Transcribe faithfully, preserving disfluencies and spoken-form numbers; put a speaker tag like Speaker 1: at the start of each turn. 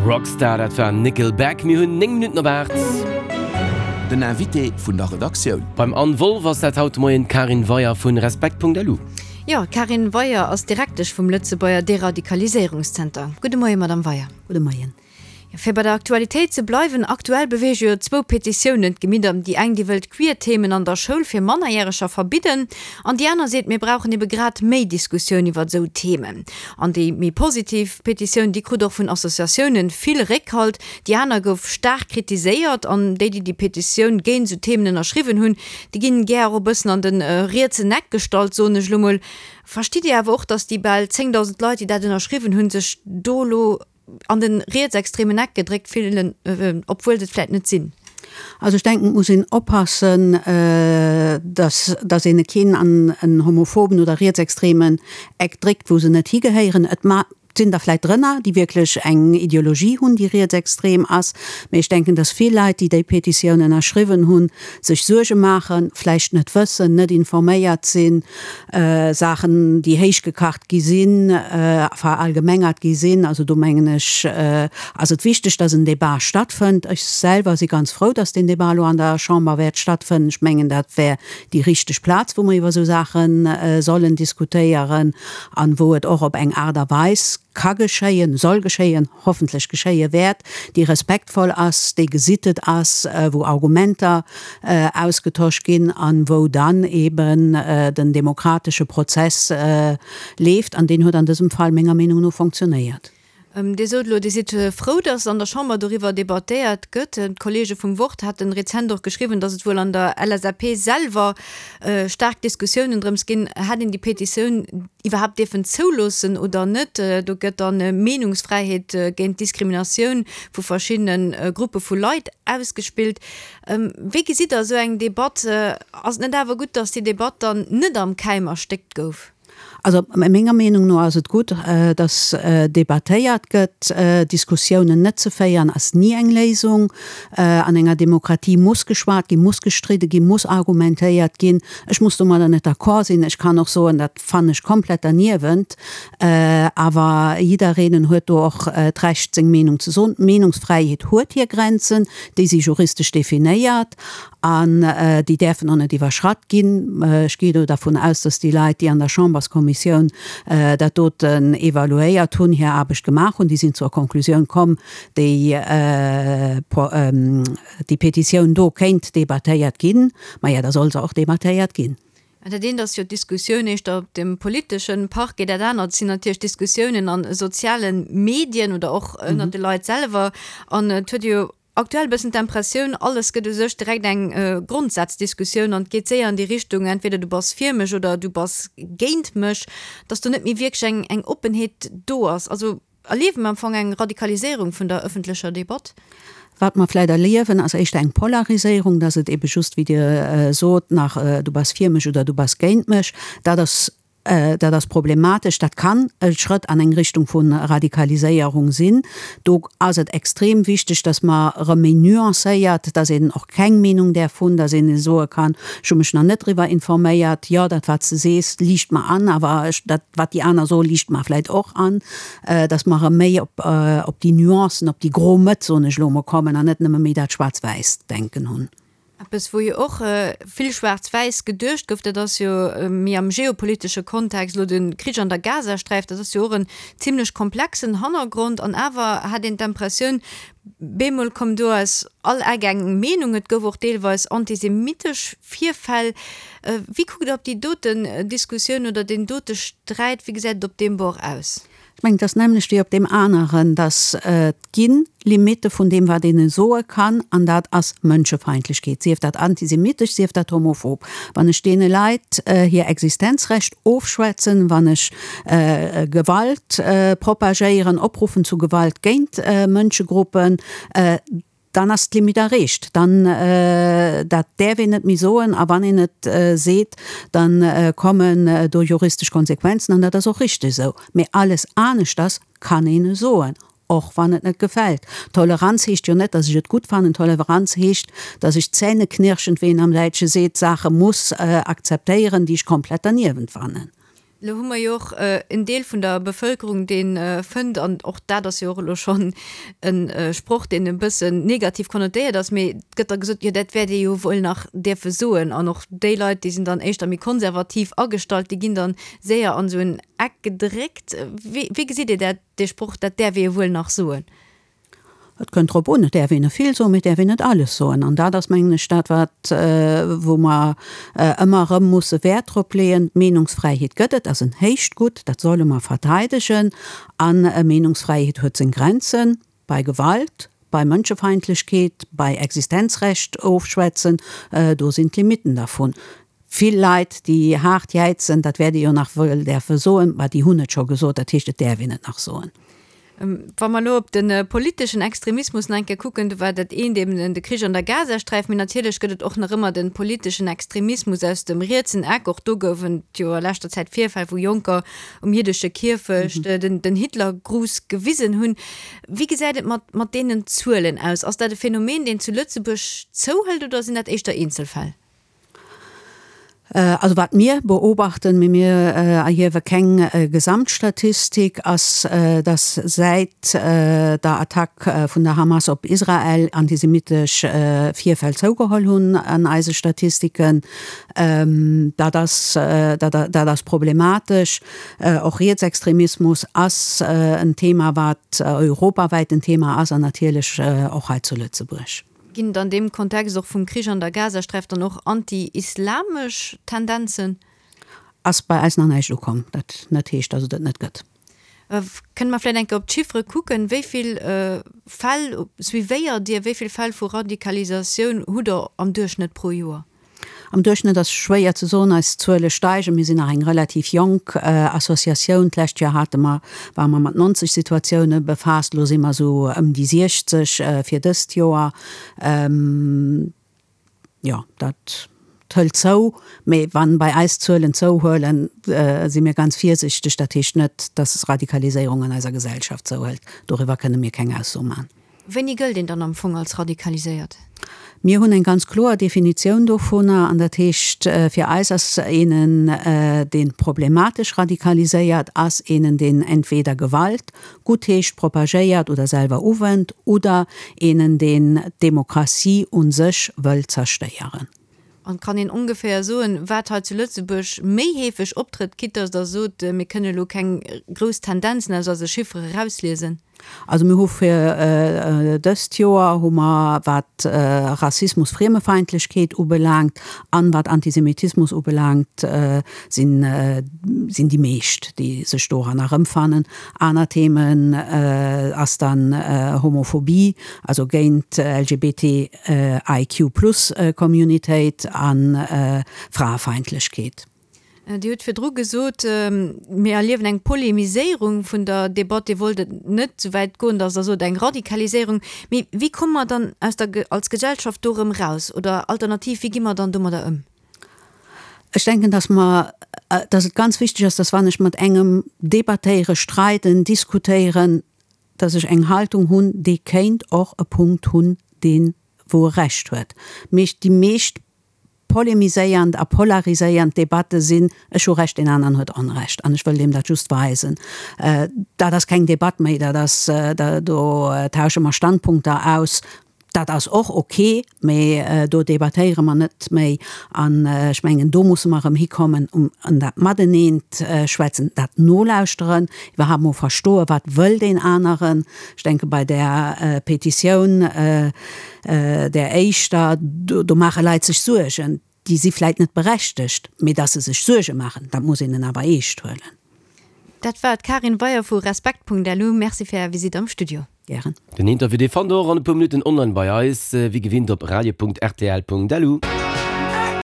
Speaker 1: Rockstar, dat war Nickelback. Mir hunn néng Minutten op aacht.
Speaker 2: Den Invité vun der Redaktioun.
Speaker 1: Beim Anne Wolff ass dat haut de Moien d'Karin Weyer vun Respekt.lu.
Speaker 3: Jo, d'Karin Weyer ass Direktesch vum Lëtzebuerger Deradikaliséierungszenter. Gudde Moien, Madame Weyer.
Speaker 4: Gudde Moien.
Speaker 3: Fir bei der Aktualitéit ze bleiwen, aktuell beweege jo zwou Petitiounen d'Gemidder. Déi eng, déi wëllt Queer-Themen an der Schoul fir Mannerjäreger verbidden an déi aner seet, mir brauchen ebe grad méi Diskussioun iwwer esou Themen. An déi méi positiv Petitioun, déi krut och vun Associatiounen vill Réckhalt. Déi aner gouf staark kritiséiert an déi, déi déi Petitioun géint esou Themen ënnerschriwwen hunn, déi ginn gär och e bëssen an de rietsen Eck gestallt, soen ech elo mol. Verstitt Dir awer och, datt déi bal zéngdausend Leit, déi dat ënnerschriwwen hunn, sech do elo an den rietsextremen Eck gedréckt fillen, obwuel se et vläit net sinn?
Speaker 4: Also ech denken, et muss een oppassen, dass dass een keen an en homophoben oder rietsextremen Eck dréckt, wou se net higehéieren. Et ma sinn der vläit drënner, déi wierklech eng Ideologie hunn, déi rietsextrem ass, mee ech denken, dass vill Leit, déi déi Petitioun ënnerschriwwen hunn, sech Suerge maachen, vläicht net wëssen, net informéiert sinn, Saachen, déi héichgekacht gi sinn, verallgemengert gi sinn. Also do mengen ech, ass et wichteg, dass en Débat stattfënnt. Ech selwer si ganz frou, dass deen Débat elo an der Chamber wäert stattfënnen. Ech mengen, dat wär déi richteg Plaz, wou mer iwwer esou Saache sollen diskutéieren an wou et och op eng Aart a Weis ka geschéien, soll geschéien, hoffentlech geschéie wäert, déi respektvoll ass, déi gesittet ass, wou Argumenter ausgetosch ginn an wou dann eben den demokratesche Prozess leeft. An deen huet an dësem Fall menger Meenung no fonctionnéiert.
Speaker 3: Dir sot elo, Dir sidd frou, datt an der Chamber doriwwer debattéiert gëtt. D'Kolleege vum Wort haten rezent och geschriwwen, datt et wuel an der L S A P selwer staark Diskussiounen drëms ginn, hätt een déi Petitioun iwwerhaapt dierfen zouloossen oder net. Do gëtt dann Meenungsfräiheet géint Diskriminatioun vu verschiddene Gruppe vu Leit ausgespillt. Wéi gesitt Der esou eng Debatt? Ass et net awer gutt, datt déi Debatt dann net am Keim erstéckt gouf?
Speaker 4: Also menger Meenung no ass et gutt, datt debattéiert gëtt. Diskussiounen net ze féieren ass ni eng Léisung. An enger Demokratie muss geschwat ginn, muss gestridde ginn, muss argumentéiert ginn. Ech muss domadder net d'accord sinn. Ech kann och soen, dat fannen ech komplett derniewent. Awer jiddereen huet do och d'Recht, seng Meenung ze soen. D'Meenungsfräiheet huet hir Grenzen, déi si juristesch definéiert an déi däerfen och net iwwerschratt ginn. Ech gi do dervun aus, dass déi Leit, déi an der Chamberskommissioun dat doten evaluéiert hunn, hir Aarbecht gemaach hunn. Déi sinn zur Konklusioun komm, déi déi Petitioun do kéint debattéiert ginn. Maja, da soll se och debattéiert ginn.
Speaker 3: Dat eent ass jo d'Diskussioun éischter op dem politesche Parquet, dat anert sinn natierlech d'Diskussiounen a soziale Medien oder och ënnert de Leit selwer. An et huet ee jo aktuell e bëssen d'Impressioun, alles gëtt u sech direkt eng Grondsazdiskussioun an et geet séier an déi Richtung, entweder du bass fir mech oder du bass géint mech, dass do net méi wierklech eng eng Oppenheet do ass. Also erliewe mer am Fong eng Radikaliséierung vun der ëffentlecher Debatt?
Speaker 4: Wat mer vläit erliewen, ass éischter eng Polariséierung, dass et ebe just, wéi Dir sot, nach du bass fir mech oder du bass géint mech. Dat ass, dat ass problematesch. Dat kann e Schrëtt an eng Richtung vu Radikaliséierung sinn. Do ass et extrem wichteg, dass mer erëm méi nuancéiert, dass een och keng Meenung däerf hunn, dass een soe kann, ech hu mech nach net driwwer informéiert, jo, dat wat s de sees, liicht mer an, awer ech, dat wat déi aner soen, liicht mer vläit och an. Dass mer erëm méi op, op déi Nuancen, op déi gro Mëtt, soen ech elo emol, kommen an net nëmme méi dat schwaarz-wäisst Denken hunn.
Speaker 3: Eppes, wou jo och vill schwaarz-wäiss geduecht gouf, dat ass jo méi am geopolitesche Kontext elo de Krich an der Gazasträif. Dat ass jo och en zimlech komplexen Hannergrond. An awer hat een d'Impressioun, bemol koum do aus all Eck eng Meenung. Et gouf och deelweis antisemitesch Virfäll. Wéi kuckt Der op déi doten Diskussioun oder deen dote Sträit? Wéi gesäit et op deem Bord aus?
Speaker 4: Ech mengen, et ass d'nämmlecht wéi op deem aneren, dass et gi Limitte vun deem, wat een soe kann, an dat ass Mënschefeindlechkeet, sief dat antisemitesch, sief dat homophob. Wann ech deene Leit hir Existenzrecht ofschwätzen, wann ech Gewalt propagéieren, opruffen zu Gewalt géint Mënschegruppen, dann ass d'Limite erreecht. Dann, dat däerf een net méi soen a wann een et seet, da kommen do juristesch Konsequenzen an dat ass och richteg esou. Mee alles aneschters kann een soen, och wann et net gefält. Toleranz heescht jo net, datt ech et gutt fannen. Toleranz heescht, datt ech zähneknirschend, wéi een am Däitsche seet, Saache muss akzeptéieren, déi ech komplett derniewent fannen.
Speaker 3: Lo hu mer jo och en Deel vun der Bevëlkerung, dee fënnt, an och dat ass jo och elo schonn e Sproch, deen e bëssen negativ konnotéiert ass, mee et gëtt da gesot, jo dat wäert ee jo wuel nach däerfe soen. An och déi Leit, déi sinn dann éischter méi konservativ agestallt, déi ginn dann séier an esou en Eck gedréckt. Wéi, wéi gesitt Dir dat, dee Sproch, dat däerf ee jo wuel nach soen?
Speaker 4: Et kënnt drop un, et däerf een vill soen, mee et däerf een net alles soen. An dat ass, mengen ech, dat, wat, wou mer ëmmer erëm musse Wäert drop leeën. Meenungsfräiheet gëtt et, ass en héicht Gutt, dat solle mer verteidegen. A Meenungsfräiheet huet seng Grenzen, bei Gewalt, bei Mënschefeindlechkeet, bei Existenzrecht ofschwätzen, do sinn d'Limitten dervun. Vill Leit, déi haart jäizen, dat wäert ee jo nach wëll däerfe soen, ma déi hunn et scho gesot, dat heescht, et däerf een et nach soen.
Speaker 3: Wa mer elo op de politeschen Extremismus nach eng Kéier kucken, do war dat eent eben de Krich an der Gazasträif, mee natierlech gëtt et och nach ëmmer de politeschen Extremismus aus dem rietsen Eck. Och do goufen et jo a leschter Zäit Virfäll, wou Jonker um jiddesche Kierfecht den Hitlergruß gewisen hunn. Wéi gesäit et mat mat deenen Zuelen aus? Ass dat e Phänomen, deen zu Lëtzebuerg zouhëlt oder sinn dat éischter Eenzelfäll?
Speaker 4: Also wat mir beobachten, mee mir erhiewe keng Gesamtstatistik, ass, dass säit der Attack vun der Hamas op Israel antisemitesch Virfäll zougeholl hunn an eise Statistiken. Dat ass, dat ass problematesch. Och Rietsextremismus ass en Thema, wat europawäit en Thema ass an natierlech och hei zu Lëtzebuerg.
Speaker 3: Ginn et an deem Kontext och vum Krich an der Gazasträif dann och anti-islamesch Tendenzen?
Speaker 4: Ass bei eis nach näischt ukomm, dat net heescht, dass et et net gëtt.
Speaker 3: Kënne mer vläicht eng Kéier op d'Chiffere kucken? Wéi vill Fäll suivéiert Dir? Wéi vill Fäll vu Radikalisatioun hutt Der am Duerchschnëtt pro Joer?
Speaker 4: Am Duerchschnëtt ass schwéier ze soen, eis Zuele steigen. Mir sinn nach eng relativ jonk Associatioun. D'lescht Joer hate mer, ware mer mat neunzeg Situatioune befaasst, elo si mer esou ëm déi siechzeg fir dëst Joer. Jo, dat hëlt zou. Mee wann bei eis d'Zuelen zouhuelen, si mir ganz virsichteg. Dat heescht net, dass Radikaliséierung an eiser Gesellschaft zouhëlt. Doriwwer kënne mir keng Ausso maachen.
Speaker 3: Wéini gëllt een dann am Fong als radikaliséiert?
Speaker 4: Mir hunn eng ganz kloer Definitioun dovunner, an dat heescht, fir eis ass eenen, dee problematesch radikaliséiert ass, eenen, deen entweder Gewalt guttheescht, propagéiert oder selwer uwennt, oder eenen, deen d'Demokratie u sech wëll zerstéieren.
Speaker 3: An kann een ongeféier soen, wat hei zu Lëtzebuerg méi heefeg optrëtt, quitte dass Der sot, mir kënne elo keng grouss Tendenzen aus eise Chiffere erausliesen?
Speaker 4: Also mir hu fir dëst Joer hu mer, wat Rassismus, Friemefeindlechkeet ubelaangt an wat Antisemitismus ubelaangt, sinn sinn déi meescht, déi sech doran erëmfannen. Aner Themen ass dann Homophobie, also géint L G B T I Q plus Communitéit a Fraefeindlechkeet.
Speaker 3: Dir hutt virdru gesot, mir erliewen eng Polemiséierung vun der Debatt. Dir wollt et net esou wäit goen, datt Der sot, eng Radikaliséierung. Mee wéi komme mer dann aus der, als Gesellschaft do erëm raus? Oder alternativ, wéi gi mer dann domadder ëm?
Speaker 4: Ech denken, dass mer, dass et ganz wichteg ass, dass wann ech mat engem debattéieren, streiden, diskutéieren, dass ech eng Haltung hunn, dee kéint och e Punkt hunn, deen, wou e Recht huet. Mee déi meescht polemiséiernd a polariséiernd Debatte sinn, ech hu Recht, deen aneren huet Onrecht an ech wëll deem dat just weisen. Dat ass keng Debatt méi, dat ass, do tausche mer Standpunkter aus. Dat ass och ok, mee do debattéiere mer net méi. An ech mengen, do musse mer erëm hikommen, um an dat Mateneent schwätzen, dat Nolauschteren, iwwerhaapt mol verstoen, wat wëll deen aneren. Ech denke bei där Petitioun, där éischter, do maache Leit sech Suergen, déi si vläit net berechtegt, mee datt se sech Suerge maachen, dat muss een en awer eescht huelen.
Speaker 3: Dat war d'Karin Weyer vu Respekt.lu. Merci fir Är Visitt am Studio.
Speaker 4: Gären.
Speaker 1: Den Interview dee fannt der och an e puer Minutten online bei eis, wéi gewinnt op radio Punkt rtl Punkt lu.